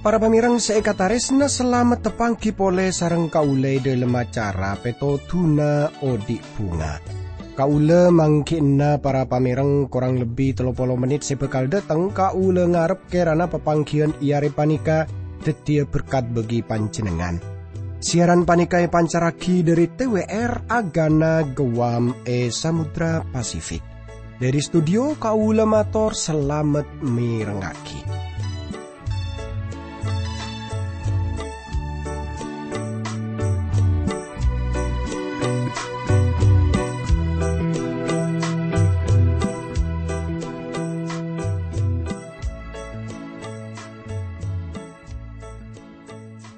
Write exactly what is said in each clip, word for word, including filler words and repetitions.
Para pamèrèng sè èkatarèsna, salamet tapangghi polè sareng kaulâ è dhâlem acara Pètodhuna Odi' Bhunga. Kaulâ mangghi'na para pamèrèng korang lebbi tello polo mennit sè bhâkal dâteng, kaulâ ngarep kèrana papangghiyân è arè panèka dhâddhiyâ berkat bagi panjhennengngan. Siaran panèka èpancarraghi dhâri T W R Agana Guam è Samudra Pasifik. Dhâri studio kaulâ mator salamet mèrengngaghi.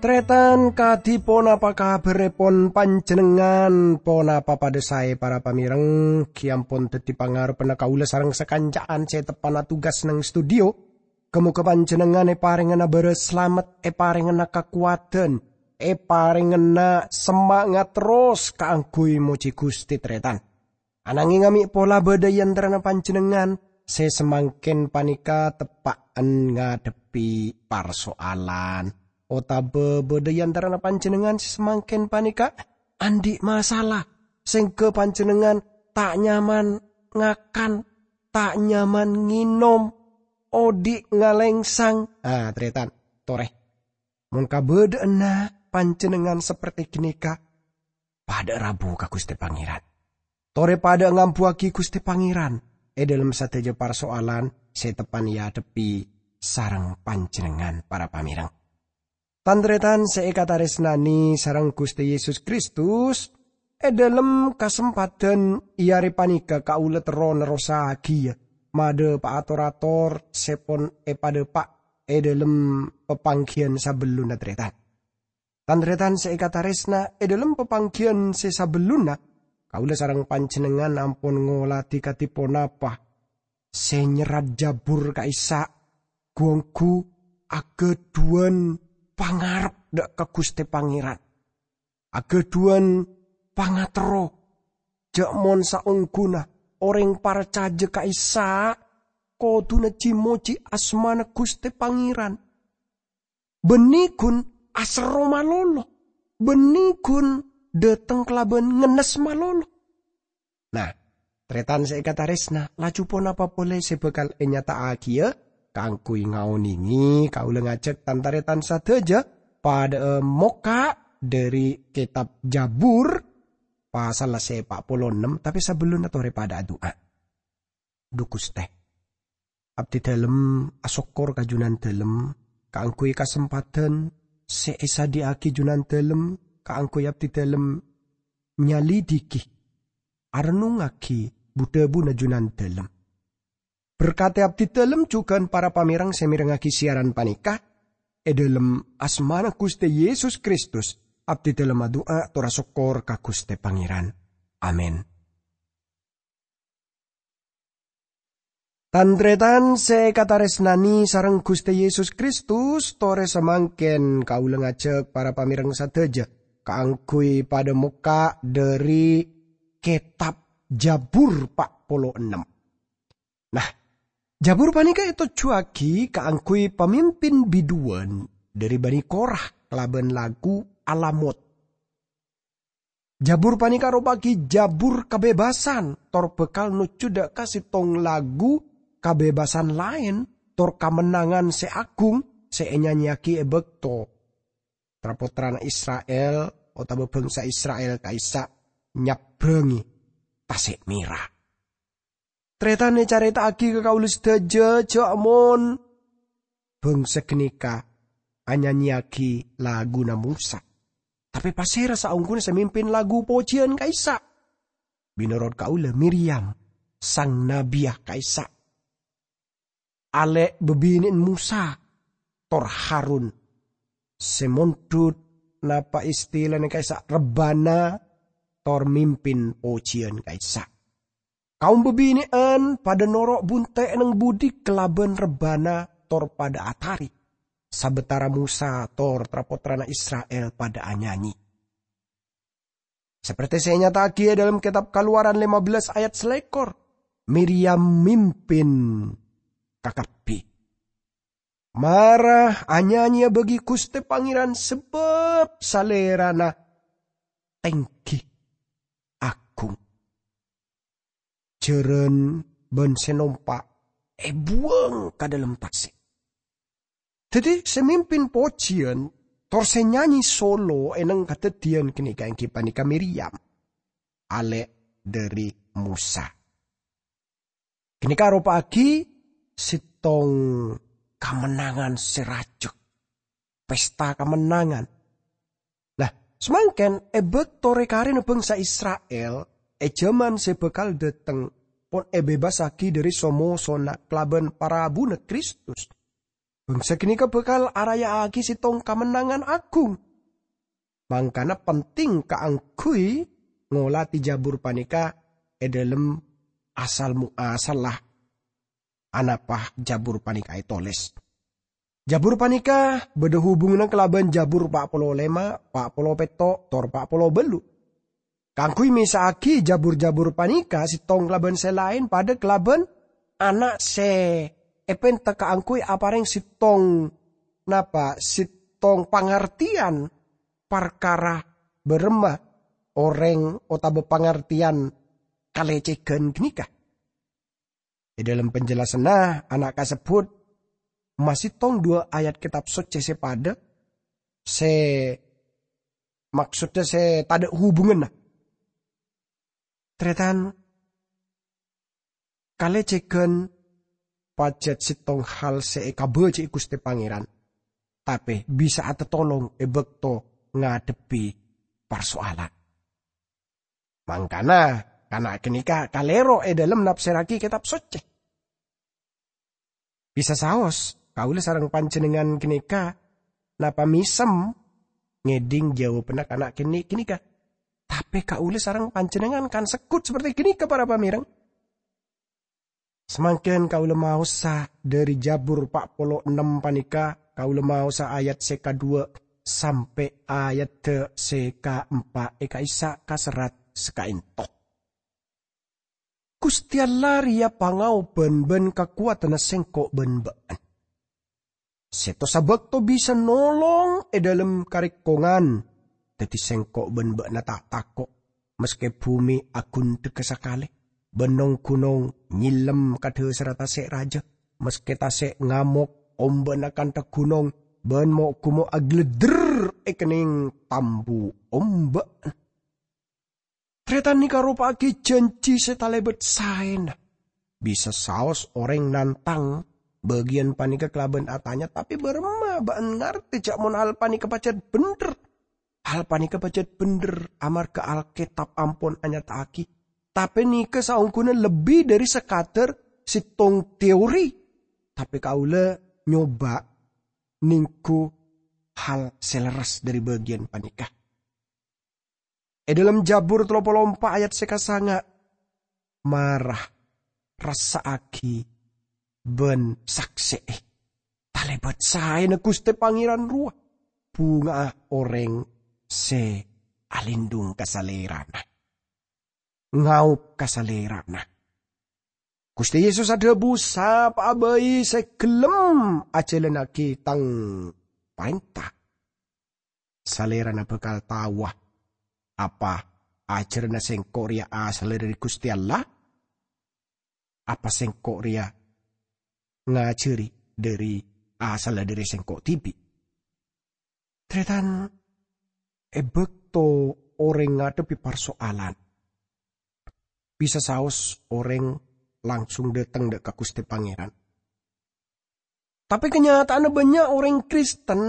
Tarètan, kadhi ponapa kabhârrèpon panjhennengngan? Ponapa padâ saè, para pamèrèng? Ghi' ampon dhâddhi pangarebbhânna kaulâ sareng sakanca'an sè teppa'na tugas neng studio. Ghâ-moghâ panjhennengngan èparèngana bârâs salamet, èparèngana kakowadhân, èparèngana semangat terros kaangghuy mojhi Ghustè, tarètan. Anangèng amè' pola bâdâ è antarana panjhennengngan sè samangkèn panèka teppa'en ngadhebbhi parsoalan, otabâ bâdâ è antarana panjhennengngan sè samangkèn panèka andi' masalah, sèngghâ panjhennengngan ta' nyaman ngakan, ta' nyaman ngènom, odi' ngalèngsang. Ah, tarètan, torè. Mon kabâdâ'ânna panjhennengngan saperte ghânèka, padâ rabu ka Ghustè Pangèran. Torè padâ ngambuwâghi Ghustè Pangèran è dhâlem sadhâjâ parsoalan sè teppa'en èadhebbhi sareng panjhennengngan, para pamèrèng. Tan-tarètan sè èkatarèsnanè sareng Ghustè Yesus Kristus, è dhâlem kasempadhân è arè panèka kaulâ terro nerrossaghiyâ madhâpa'a tor-ator sè pon èpadhâpa' è dhâlem papangghiyân sabellunna, tarètan. Tan-tarètan sè èkatarèsna, è dhâlem papangghiyân sè sabellunna, kaulâ sareng panjhennengngan ampon ngolatè kadhi ponapa sè nyerrat Jabur ka'issa', ghu-ongghu aghâdhuwân pangarep dâ' ka Ghustè Pangèran. Aghâdhuwân pangaterro, jhâ' mon saongghuna orèng parcajâ ka'issa' kodhuna ji-mojhi asmana Ghustè Pangèran. Bânnè ghun aserro malolo, bânnè ghun dâteng kalabân ngennes malolo. Nah, tarètan sè èkatarèsna, laju ponapa polè sè bhâkal ènyata'aghiyâ? Kaangghuy ngaonèngè, kaulâ ngajhâk tan-tarètan sadhâjâ padâ'â mokka' dhâri Kètab Jabur, pasalla sè pa' polo ennem, tapè sabellunna torè padâ adu'a. Dhu Ghustè, abdhidhâlem asokkor ka Jhunandhâlem kaangghuy kasempadhân sè èsadhiyâ'aghi Jhunandhâlem kaangghuy abdhidhâlem nyalidhighi, arennungngaghi bu-dhâbuna Jhunandhâlem. Berkadhi abdhidhâlem jhughân para pamèrèng sè mèrengngaghi siaran panèka. È dhâlem asmana Ghustè Yesus Kristus, abdhidhâlem adu'a tor asokkor ka Ghustè Pangèran. Amin. Tan-tarètan sè èkatarèsnanè sareng Ghustè Yesus Kristus, torè samangkèn kaulâ ngajhâk para pamèrèng sadhâjâ kaangghuy padâ mokka' dhâri Kètab Jabur pa' polo ennem. Nah, Jabur panèka ètojjhuwâghi kaangghuy pamimpin biduwân dhâri Bani Korah kalabân lagu alamot. Jabur panèka ropa'aghi jabur kabebbasan, tor bhâkal nojjhu dâ' ka sèttong lagu kabebbasan laèn, tor kamennangan sè aghung sè ènyanyèyaghi è bâkto tra-pottrana Isra'il otabâ bhângsa Isra'il ka'issa' nyabbrângè Tasè' Mèra. Tarètan ècarèta'aghi ka kaulâ sadhâjâ jhâ' mon bhângsa ghânèka anyanyèyaghi laguna Mosa. Tapè pasèra saongghuna sè mimpin lagu pojiyân ka'issa'? Mènorot kaulâ, Miryam, sang nabiyya ka'issa'. Alè' bâbinè'en Mosa tor Harun, sè mondhut napa' istilana ka'issa' rebbhâna tor mimpin pojiyân ka'issa'. Kaum bâbinè'en padâ noro' bunte' neng budi kalabân rebbhâna tor padâ atarè. sabâtara Mosa tor tra-pottrana Isra'il padâ anyanyi. Saperte sè ènyata'aghi è dâlem Kètab Kalowaran lèma bellâs ayat salèkor, Miryam mimpin kakabbhi. Mara anyanyi abâgi Ghustè Pangèran sabâb Salèrana tèngghi aghung. Jhârân bân sè nompa' èbuwâng ka dâlem tasè'. Dhâddhi, sè mimpin pojhiyân tor sè nyanyi solo è nèng kadhâddhiyân ghânèka èngghi panèka Miryam, alè' dhâri Mosa. Ghânèka aropa'aghi sèttong kamennangan sè rajâ, pesta kamennangan. Nah, samangkèn è bâkto rè-karèna bhângsa Isra'il è jhâman sè bhâkal dhâteng pon èbebasaghi dhâri so-mosona kalabân parabuna Kristus, bhângsa ghânèka bhâkal araya'aghi sèttong kamennangan aghung. Mangkana penting kaangghuy ngolatè jhâbur panèka è dâlem asal-muasalla anapa jhâbur panèka ètolès. Jhâbur panèka bâdâ hubunganna kalabân Jhâbur pa' polo lèma, pa' polo pètto', tor pa' polo bâllu'. Kaangghuy mèsa'aghi jhâbur-jhâbur panèka sèttong kalabân sè laèn padâ kalabân ana' sè èpènta kaangghuy aparèng sèttong, napa, sèttong pangartèyan parkara bârâmma orèng otabâ pangartèyan kalècèghân ghânèka. È dâlem penjelasanna, ana' kasebbhut masèttong duwâ' ayat Kètab Soccè sè padâ, sè maksoddhâ sè tadâ' hubunganna. Tarètan, kalècèghân pajhât sèttong hal sè èkabâjâ'â Ghustè Pangèran, tapè bisa atatolong è bâkto ngadhebbhi parsoalan. Mangkana, kana' ghânèka kalèro è dâlem nafsèrraghi Kètab Soccè. Bisa saos, kaulâ sareng panjhennengngan ghânèka napa mèsem ngèdhing jhâwâbhânna kana' kènè' ghânèka. Tapè kaulâ sareng panjhennengngan kan segghut saperte ghânèka, para pamèreng. Samangkèn kaulâ maosa dhâri Jhâbur pa' polo ennem panèka, kaulâ maosa ayat sè kaduwâ' sampè' ayadda sè kaempa' è ka'issa' kaserrat sakaènto. Ghustè Allah rèya pangaobân bân kakowadhânna sèngko' bân bâ'na. Sèttosa bâkto bisa nolong è dâlem karèkongan. Dhâddhi sèngko' bân bâ'na ta' tako', maskè bhumè aghundhegghâ sakalè, bân nong-ghunong nyèllem ka dhâsarra tasè' rajâ, maskè tasè' ngamok, ombâna kantha ghunong, bân mo'-ghumo' aghâleddher è kennèng tambu ombâ'. Tarètan nèka aropa'aghi jhânjhi sè talèbât saèna. Bisa saos orèng nantang bâgiyân panèka kalabân atanya, "Tapè bârâmma bâ'na ngartè jhâ' mon hal panèka pajhât bhendher?" Hal panèka pajhât bhendher amarghâ Alkètab ampon anyata'aghi. Tapè nèka saongghuna lebbi dhâri sakadhâr sèttong teori. Tapè kaulâ nyoba nèngghu hal sè lerres dhâri bâgiyân panèka. È dâlem Jhâbur tello polo empa' ayat sè kasanga', mara rassa'aghi bân saksè'è talèbât saèna Ghustè Pangèran rowa, bhunga'a orèng sè alindhung ka Salèrana, ngaob ka Salèrana. Ghustè Yesus adhâbu, "Sapa'a bhâi sè ghellem ajhâlânnaghi Tang parènta, Salèrana bhâkal taowa apa ajhârânna Sèngko' rèya asalla dhâri Ghustè Allah, apa Sèngko' rèya ngajhâri dhâri asalla dhâri Sèngko' dhibi'." Tarètan, è bâkto orèng ngadhebbhi parsoalan, bisa saos orèng langsung dhâteng dâ' ka Ghustè Pangèran. Tapè kanyata'anna bânnya' orèng Kristen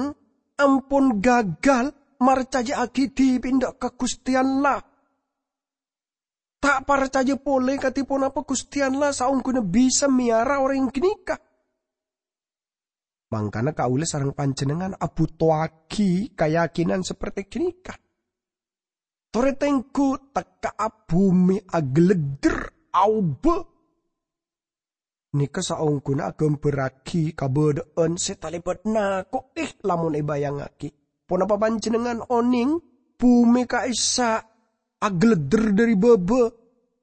ampon gagal marcajâ'aghi dhibi'na dâ' ka Ghustè Allah. Ta' parcajâ polè kadhi ponapa Ghustè Allah saongghuna bisa mèyara orèng ghânèka. Mangkana kaulâ sareng panjhennengngan abhutoaghi kayakinan saperte ghânèka. Torè tengghu tekka'a bhumè aghâleddher, aobâ. Nèka saongghuna aghâmbhârraghi kabâdâ'ân sè talèbât nako'è lamon èbâjângngaghi. Ponapa panjhennengngan onèng bhumè ka'issa' aghâleddhâr dhâri bâbâ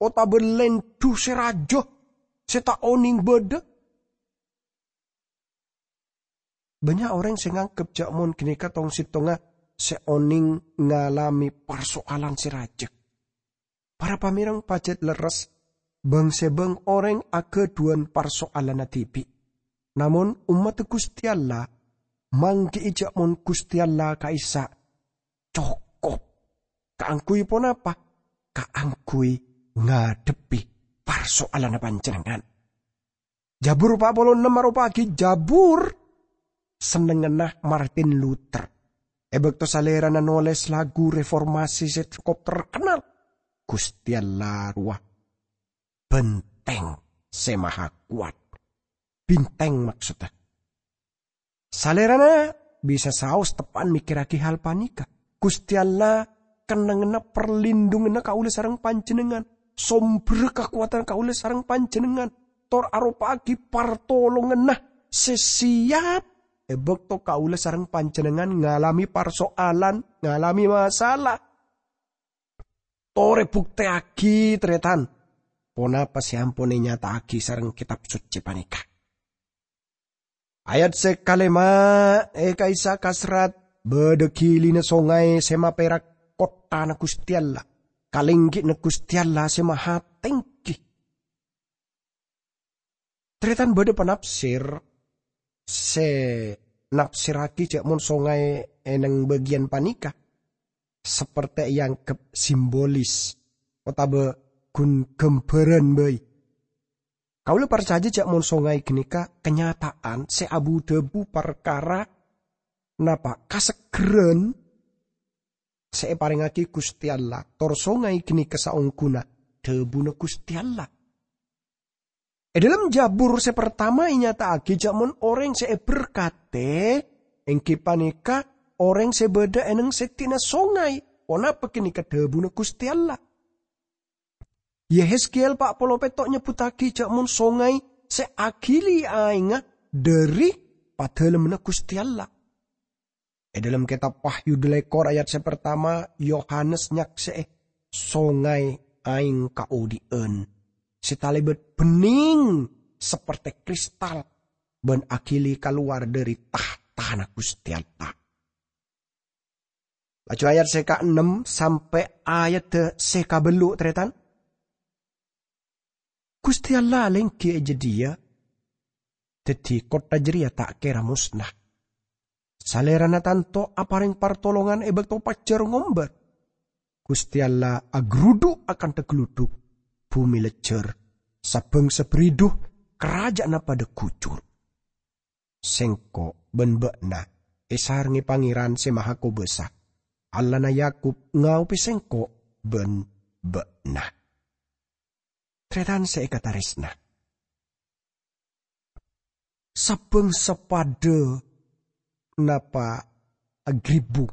otabâ lèndhu sè rajâ sè ta' onèng bâdâ? Bânnya' orèng sè nganggep jhâ' mon ghânèka tong-settongnga sè onèng ngalamè parsoalan sè rajâ. Para pamèreng pajhât lerres, bâng-sèbâng orèng aghâdhuwân parsoalanna dhibi'. Namong ommaddhâ Ghustè Allah mangghi'i jhâ' mon Ghustè Allah ka'issa' cokop. Kaangghuy ponapa? Kaangghuy ngadhebbhi parsoalanna panjhennengngan. Jabur pa' polo ennem aropa'aghi jabur sennengnganna Martin Luther. È bâkto salèrana nolès lagu reformasi sè cokop terkenal, Ghustè Allah rowa bhântèng sè maha kowat. Bintèng, maksodda. Salèrana bisa saos teppa'an mèkkèrraghi hal panèka. Ghustè Allah kennengnganna parlindhunganna kaulâ sareng panjhennengngan, sombherra kakowadhân kaulâ sareng panjhennengngan, tor aropa'aghi partolonganna sè siap è bâkto kaulâ sareng panjhennengngan ngalamè parsoalan, ngalamè masalah. Torè buktèyaghi, tarètan, ponapa sè ampon ènyata'aghi sareng Kètab Soccè panèka. Ayat sè kalèma, è ka'issa' kasrat bâdâ ghilina songay sè mapèra' kottana Ghustè Allah, kalèngghi'na Ghustè Allah sè maha tèngghi. Tarètan, bâdâ panafsir sè nafsirraghi jhâ' mon songay è neng bâgiyân panèka saperte èangghep simbolis otabâ ghun ghâmbhârân bhâi. Kaulâ parcajâ jhâ' mon songay ghânèka kanyata'an sè abu-dhâbu parkara napa? Kasegghârân sè èparèngngaghi Ghustè Allah, tor songay ghânèka saongghuna dhâbuna Ghustè Allah. È dhâlem Jabur sè partama ènyata'aghi jhâ' mon orèng sè èberkadhi èngghi panèka orèng sè bâdâ è neng sèddhina songay, ponapa ghânèka dhâbuna Ghustè Allah. Yehezkiel pa' polo pètto' nyebbhuttaghi jhâ' mon songay sè aghili aèngnga dhâri padâlemmanna Ghustè Allah. È dhâlem Kètab Wahyu dâlèkor ayat sè partama, Yohanes nyaksè'è songay aèng kaodi'ân sè talèbât bhennèng saperte kristal bân aghili kalowar dhâri tahtana Ghustè Allah. Laju ayat sè kaennem sampè' ayadda sè kabellu', tarètan. Ghustè Allah alèngghi è jâdiyâ, dhâddhi kottha jârèya ta' kèra mosna. Salèrana tanto aparèng partolongan è bâkto pajhâr ngombâr. Ghustè Allah agarudhu' akantha galudhuk, bhumè lejjhâr, sabângsa bridhu, karajâ'ânna padâ ghujur. Sèngko' bân bâ'na èsarengngè Pangèran Sè Mahakobâsa. Allahna Yakub ngaobhi sèngko' bân bâ'na. Tarètan sè èkatarèsna, sabângsa padâ napa agribu.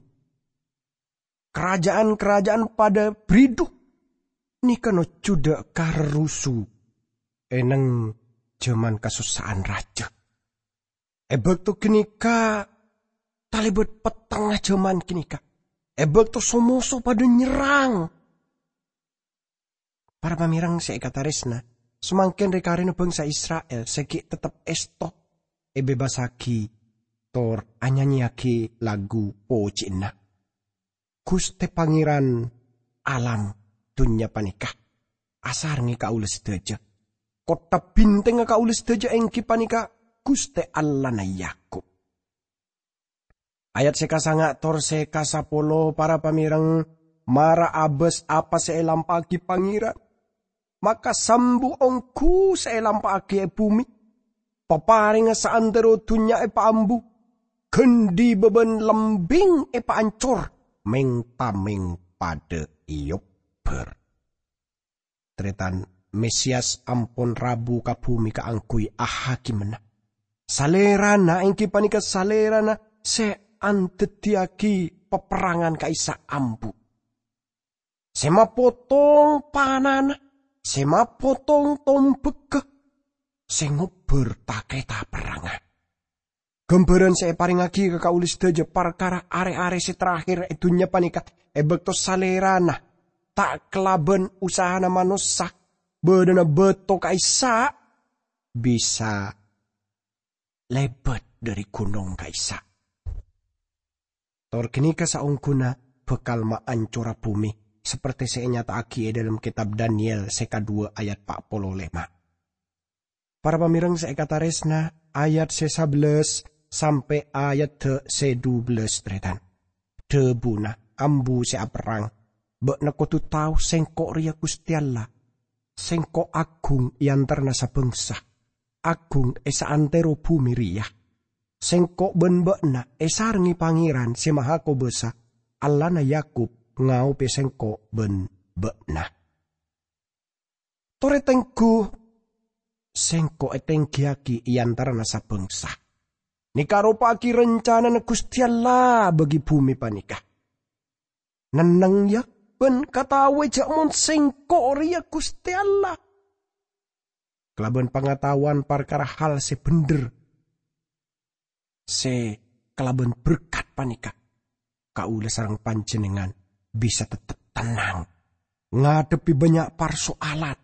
Karajâ'ân-karajâ'ân padâ bridhu nèka nojjhudhâ ka rerrusu è neng jhâman kasossa'an rajâ. È bâkto ghânèka talèbât pettengnga jhâman ghânèka, è bâkto so-moso padâ nyerrang. Para pamèreng sè èkatarèsna, samangkèn rè-karèna bângsa Isra'il sè ghi' tettep èsto èbebasaghi tor anyanyèyaghi lagu pojhâ'ânna. Ghustè Pangèran alam dhunnya panèka asarengngè kaulâ sadhâjâ. Kottha bhintèngnga kaulâ sadhâjâ èngghi panèka Ghustè Allahna Yakub. Ayat sè kasanga' tor sè kasapolo, para pamèreng, mara abâs apa sè èlampa'aghi Pangèran. Maka sambu ongghu sè èlampa'aghi è bhumè. Paparèngnga saantero dhunnya èpaambu. Ghândhi bâbân lembing èpaancor. Mèng-tamèng padâ èobbhâr. Tarètan, Mesias ampon rabu ka bhumè kaangghuy ahakimana. Salèrana èngghi panèka Salèrana sè andhâddhiyâghi paperrangan ka'issa' ambu. Sè mapotong panana, sè mapotong tombhâghâ. sè ngobbhâr ta-, ta-kerrèng perrangnga. Ghâmbhârân sè èparèngngaghi ka kaulâ sadhâjâ parkara arè-arè sè terakhir è dhunnya panèka, è bâkto Salèrana ta' kalabân usahana manossa, bâdâna bâto ka'issa' bisa lèbât dhâri ghunong ka'issa'. Tor ghânèka saongghuna bhâkal maancora bhumè, sapertè sè ènyata'aghi è dhâlem kètab Daniel sè kadhuwâ ayat pa' polo lèma'. Para pamèrèng sè èkatarèsna, ayat sè sabellâs sampè' ayat sè dubellâs, tarètan. Dhâbuna ambu sè aperrang, "Bâ'na kodhu tao Sèngko' rèya Ghustè Allah. Sèngko' aghung è antarana sabângsa, aghung è saantèro bhumè rèya. Sèngko' bân bâ'na èsarengngè Pangèran Sè Mahakobâsa, Allahna Yakub ngaobâ Sèngko' bân bâ'na. Torè tèngghu, Sèngko' ètèngghiyâghi è antarana sabângsa." Nèka aropa'aghi rancanana Ghustè Allah bagi bhumè panèka. Nenneng, yâ, bân kataowè jâ' mon Sèngko' rèya Ghustè Allah. Kalabân pangataowan parkara hal sè bhendher, sè kalabân berkat panèka, kaulâ sareng panjhennengngan bisa tettep tennang ngadhebbhi bânnya' parsoalan,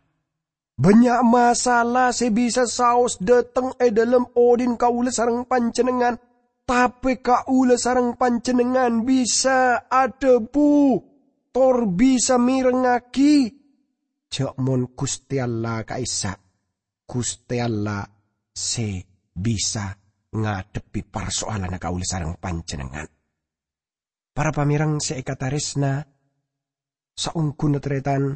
bânnya' masalah sè bisa saos dhâteng è dhâlem odhi'na kaulâ sareng panjhennengngan. Tapè kaulâ sareng panjhennengngan bisa adhâbu, tor bisa mèrengngaghi, jâ' mon Ghustè Allah ka'issa', Ghustè Allah sè bisa ngadhebbhi parsoalanna kaulâ sareng panjhennengngan. Para pamèrèng sè èkatarèsna, saongghuna tarètan,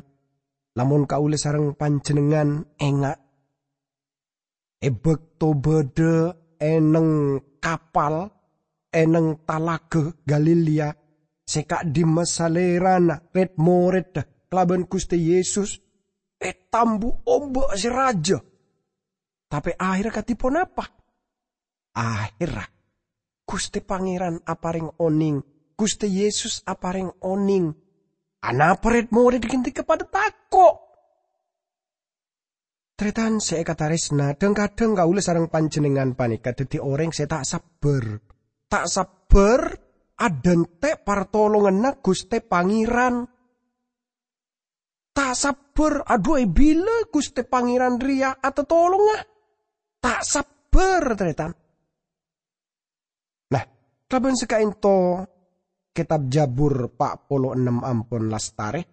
lamon kaulâ sareng panjhennengngan enga', è bâkto bâdâ è neng kapal, è neng Talaga Galilea, sè ka'dhimma Salèrana rèd-morèdda kalabân Ghustè Yesus ètambu omba' sè rajâ. Tapè ahèrra kadhi ponapa? Ahèrra, Ghustè Pangèran aparèng onèng, Ghustè Yesus aparèng onèng. Anapa rèd-morèd ghânèka padâ tako'? Tarètan sè èkatarèsna, dhâng-kadhâng kaulâ sareng panjhennengngan panèka dhâddhi orèng sè ta' sabbhâr. Ta' sabbhâr adhântè' partolonganna Ghustè Pangèran. Ta' sabbhâr, adhu, è bilâ Ghustè Pangèran rèya atatolonga? Ta' sabbhâr, tarètan. Nah, kalabân sè ka'ènto, kètab Jabur pa' polo ennem ampon lastarè,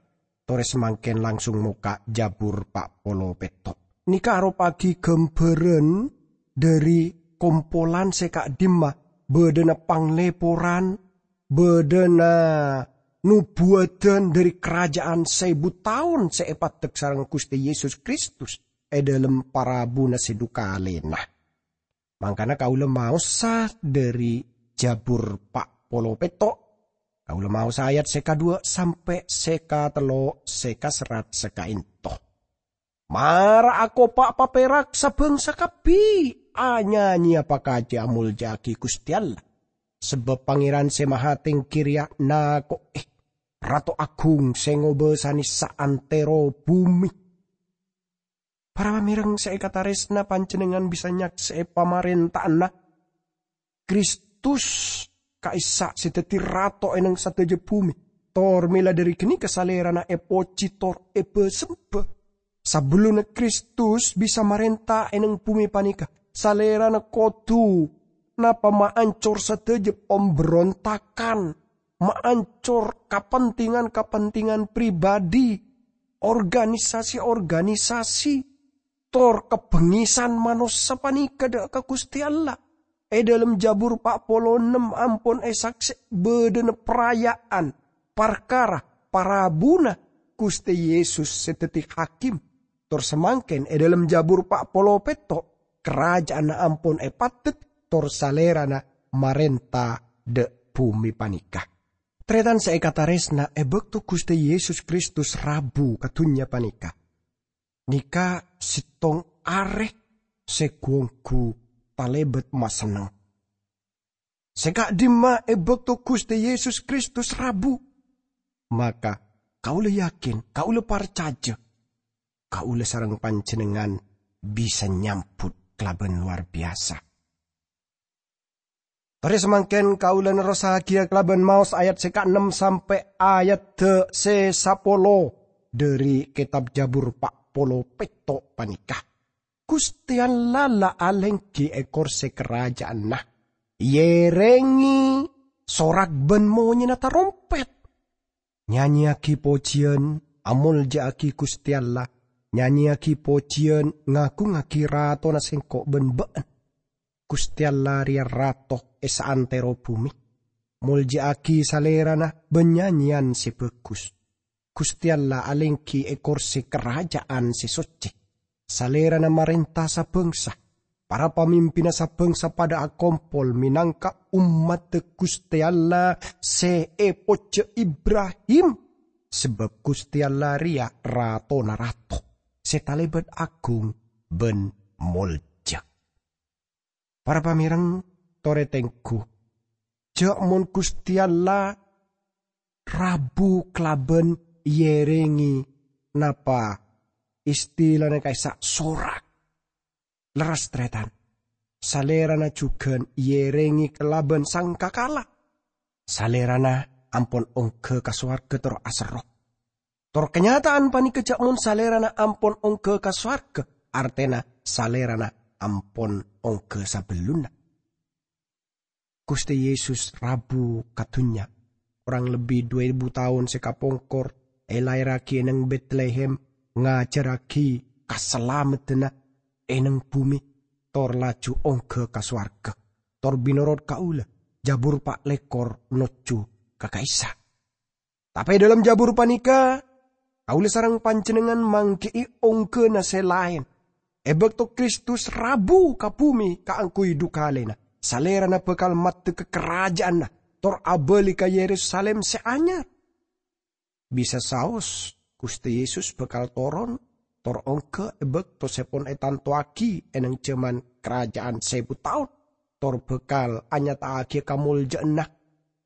torè samangkèn langsung mokka' Jabur pa' polo pètto'. Nèka aropa'aghi ghâmbhârân dhâri kompolan sè ka'dhimma bâdâna panglèporan, bâdâna nobuwâdhân dhâri karaja'an saèbu taon sè èpaddhek sareng Ghustè Yesus Kristus è dhâlem parabuna sè dhu kalèna. Mangkana kaulâ maosa dhâri Jabur pa' polo pètto'. Kaulâ maosa ayat sè kadhuwâ' sampè' sè katello' sè kaserrat sè ka'ènto. Mara akopa' paperak sabângsa kabbhi, anyanyiya pakajhi amolja'aghi Ghustè Allah. Sabâb Pangèran Sè Mahatèngghi rèya nako'è, Rato Aghung sè ngobâsanè saantèro bhumè. Para pamèrèng sè èkatarèsna, panjhennengngan bisa nyaksè'è pamarènta'anna Kristus ka'issa' sè dhâddhi Rato è neng sadhâjâ bhumè. Tor mèla dhâri ghânèka Salèrana èpojhi tor èbâsembhâ. Sabellunna Kristus bisa marènta è neng bhumè panèka, Salèrana kodhu napa maancor sadhâjâ pamberontakan, maancor kapentingan-kapentingan pribadi, organisasi-organisasi, tor kabhângasan manossa panèka dâ' ka Ghustè Allah. È dhâlem Jabur pa' polo ennem ampon èsaksè' bâdâna paraya'an parkara parabuna Ghustè Yesus sè dhâddhi hakim. Tor samangkèn è dhâlem Jabur pa' polo pètto', karaja'anna ampon èpaddhek, tor Salèrana marènta dâ' bhumè panèka. Tarètan sè èkatarèsna, è bâkto Ghustè Yesus Kristus rabu ka dhunnya panèka, nèka sèttong arè sè ghu-ongghu talèbât masenneng. Sè ka'dimma è bâkto Ghustè Yesus Kristus rabu? Maka, kaulâ yakin, kaulâ parcajâ, kaulâ sareng panjhennengngan bisa nyambut kalabân lowar biyasa. Torè samangkèn kaulâ nerrossaghiyâ kalabân maos ayat sè kaennem sampè' ayat sè sapolo dhâri kètab Jabur pa' polo pètto' panèka. Ghustè Allah la alèngghi è korsè karajâ'ânna, èyèrèngè sorak bân monyèna tarompèt. Nyanyèyaghi pojiyân, amoljâ'âghi Ghustè Allah, nyanyèyaghi pojiyân, ngagungngaghi Ratona sèngko' bân bâ'na. Ghustè Allah rèya Rato è saantèro bhumè. Moljâ'âghi Salèrana bân nyanyèyan sè bhâghus. Ghustè Allah alèngghi è korsè karajâ'ân sè soccè. Salèrana marènta sabângsa. Para pamimpinna sabângsa padâ akompol mènangka ommaddhâ Ghustè Allah sè èpojjhâ Ibrahim, sabâb Ghustè Allah rèya Ratona rato, sè talèbât agung bân moljâ. Para pamèreng, torè tengghu, jhâ' mon Ghustè Allah rabu kalabân èyèrèngè napa istilana ka'issa' sorak. Lerres, Tarètan. Salèrana jhughân èyèrèngè kalabân sangkakala. Salèrana ampon ongghâ ka sowarghâ tor aserro. Tor kanyata'an panèka jhâ' mon Salèrana ampon ongghâ ka sowarghâ, artèna Salèrana ampon ongghâ sabellunna. Ghustè Yesus rabu ka dhunnya, korang lebbi du èbu taon sè kapongkor, èlaèrraghi è neng Betlehem, ngajhârraghi kasalameddhânna è neng bhumè, tor laju ongghâ ka sowarghâ. Tor mènorot kaulâ, Jabur pa' lèkor nojjhu ka ka'issa'. Tapè è dhâlem Jabur panèka, kaulâ sareng panjhennengngan mangghi'i ongghâna sè laèn. È bâkto Kristus rabu ka bhumè kaangghuy du kalèna, Salèrana bhâkal maddhâ ka karajâ'ânna, tor abâli ka Yerusalim sè anyar. Bisa saos, Ghustè Yesus bhâkal toron, tor ongghâ è bâkto sè pon ètantowaghi è neng jhâman Karajâ'ân Sèbu Taon, tor bhâkal anyata'aghiyâ kamoljâ'ânna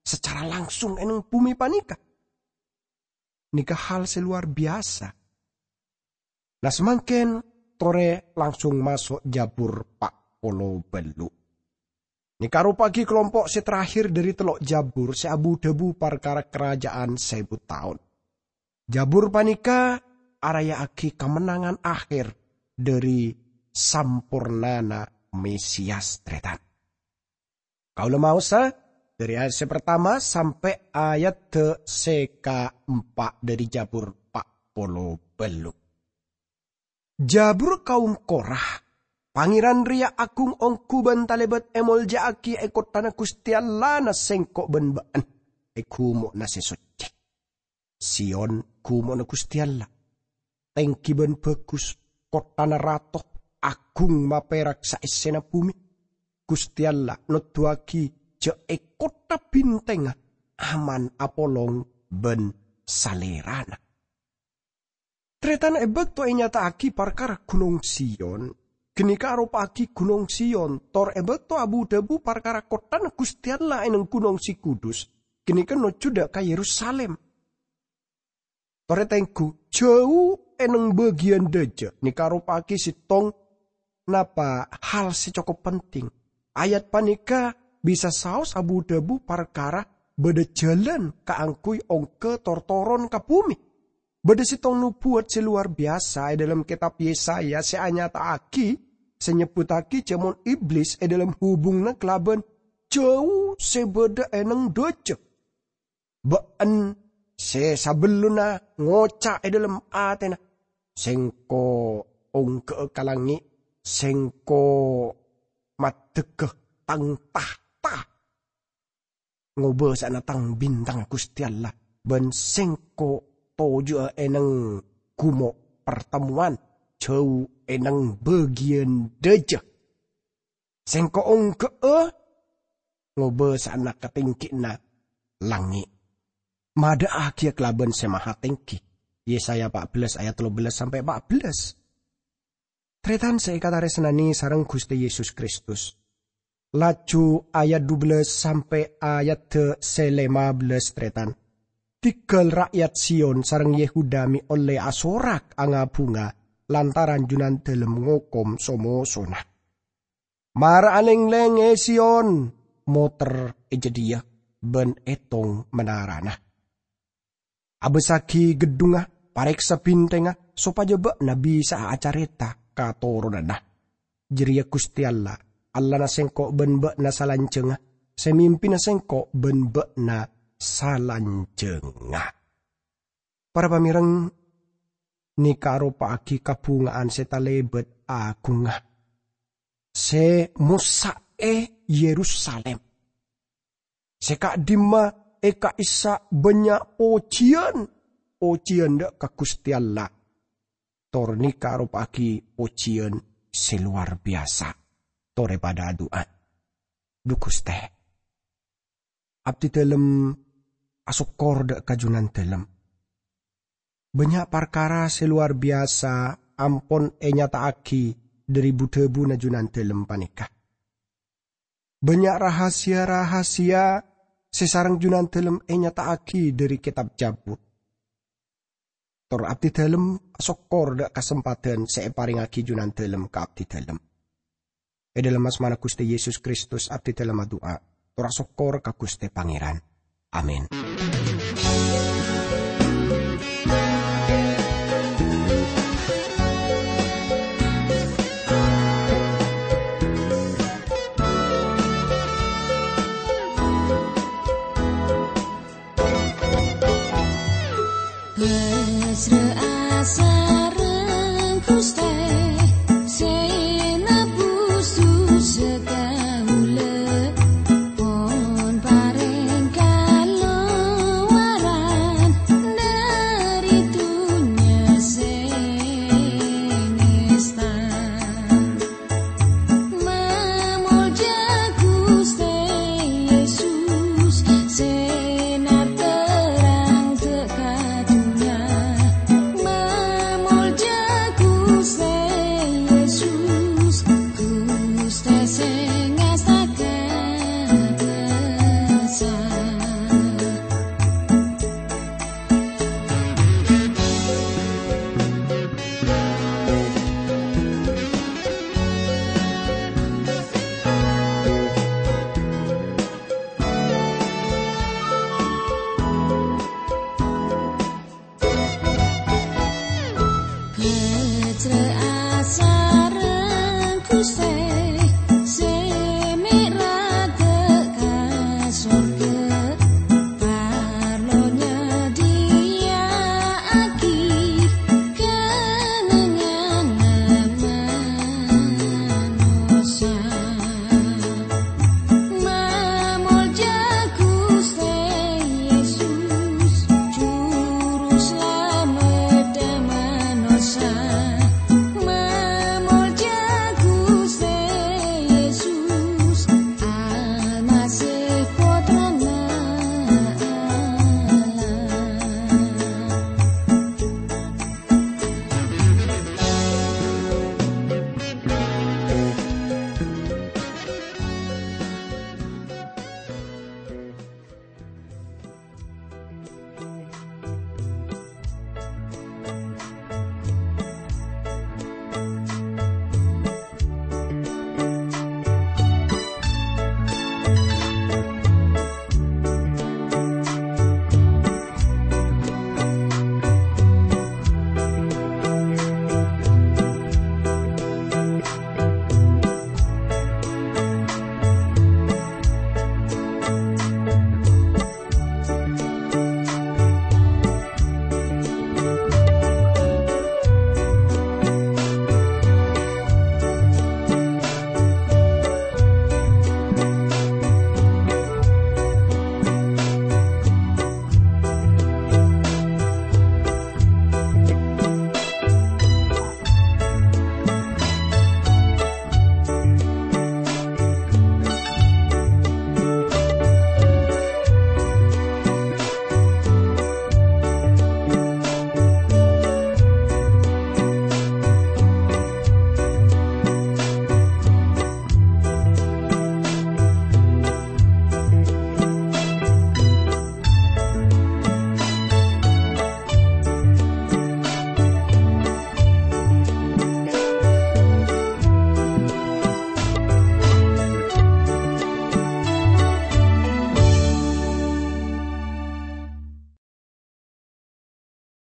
sacara langsung è neng bhumè panèka. Nèka hal sè lowar biyasa. Nah, samangkèn torè langsung maso' Jabur pa' polo bâllu'. Nèka aropa'aghi kalompo' sè terakhir dhâri tello' Jabur sè abu-dhâbu parkara Karajâ'ân Sèbu Taon. Jabur panèka araya'aghi kamennangan akhir dhâri sampornana Mesiyas, Tarètan. Kaulâ maosa dhâri ayat sè partama sampè' ayat sè kaempa' dhâri Jabur pa' polo bâllu'. Jabur kaum Korah. Pangèran rèya agung ongghu bân talèbât èmoljâ'aghi è kotthana Ghustè Allahna sèngko' bân bâ'na, è ghumo'na sè soccè. Sion, ghumo'na Ghustè Allah. Tèngghi bân bhâghus, kotthana rato, agung mapèrak saèssèna bhumè. Ghustè Allah noddhuwaghi jhâ' è kottha bhintèngnga aman apolong bân Salèrana. Tarètan, è bâkto ènyata'aghi parkara Ghunong Sion, ghânèka aropa'aghi Ghunong Sion, tor è bâkto abu-dhâbu parkara kotthana Ghustè Allah è neng Ghunong Sè Kudus, ghânèka nojjhu dâ' ka Yerusalim. Torè tengghu, jhâu è neng bâgiyân dâjâ nèka aropa'aghi sèttong napa hal sè cokop penting. Ayat panèka bisa saos abu-dhâbu parkara bâdâ jhâlân kaangghuy ongghâ tor toron ka bhumè. Bâdâ sèttong nobuwat sè lowar biyasa è dhâlem Kètab Yesaya sè anyata'aghi, sè nyebbhuttaghi jhâ' mon Iblis è dhâlem hubunganna kalabân jhâu sè bâdâ è neng dâjâ. Bâ'na sè sabellunna ngoca' è dhâlem atèna, "Sèngko' ongghâ'â ka langngè', sèngko' maddhegghâ tang tahta, ngobâsa'ana tang bintang Ghustè Allah, bân sèngko' toju'â è neng ghumo' partemmowan, jhâu è neng bâgiyân dâjâ." Sèngko' ongghâ'â ngobâsa'ana katèngghiyanna langngè'. Madâ'aghiyâ kalabân Sè Mahatèngghi. Yesaya pa' bellâs ayat tello bellâs sampè' pa' bellâs. Tarètan sè èkatarèsnanè sareng Ghustè Yesus Kristus. Laju ayat du bellâs sampè' ayat sè lèma bellâs, tarètan. Ghigghâl ra'yat Sion sareng Yehuda mè' ollè asorak nga-bhunga, lantaran Junandâlem ngokom so-mosona. Mara alènglèng è Sion, moter è jâdiyâ, bân ètong manarana. Abâssaghi ghedhungnga, parèksa bhintèngnga, sopajâ bâ'na bisa'a acarèta ka toronanna. Jârèya Ghustè Allah, Allahna sèngko' bân bâ'na salanjhângnga, sè mimpina sèngko' bân bâ'na salanjhângnga. Para pamèreng, nèka aropa'aghi kabhungaan sè talèbât aghungnga, sè mossa'è Yerusalim. Sè ka'dimma è ka'issa' bânnya' pojiyân, pojiyân dâ' ka Ghustè Allah. Tor nèka aropa'aghi pojiyân sè lowar biyasa. Torè padâ adu'a. Dhu Ghustè, abdidâlem asokkor dâ' ka Junandâlem. Bânnya' parkara sè lowar biyasa ampon ènyata'aghi dâri bu-dhâbuna Junandâlem panèka. Bânnya' rahasia-rahasia sè sareng Junandâlem ènyata'aghi dâri Kètab Jâbur. Tor abdidâlem asokkor dâ' kasempadhân sè èparèngaghi Junandâlem ka abdidâlem. È dhâlem asmana Ghustè Yesus Kristus abdidâlem adu'a, tor asokkor ka Ghustè Pangèran. Amin.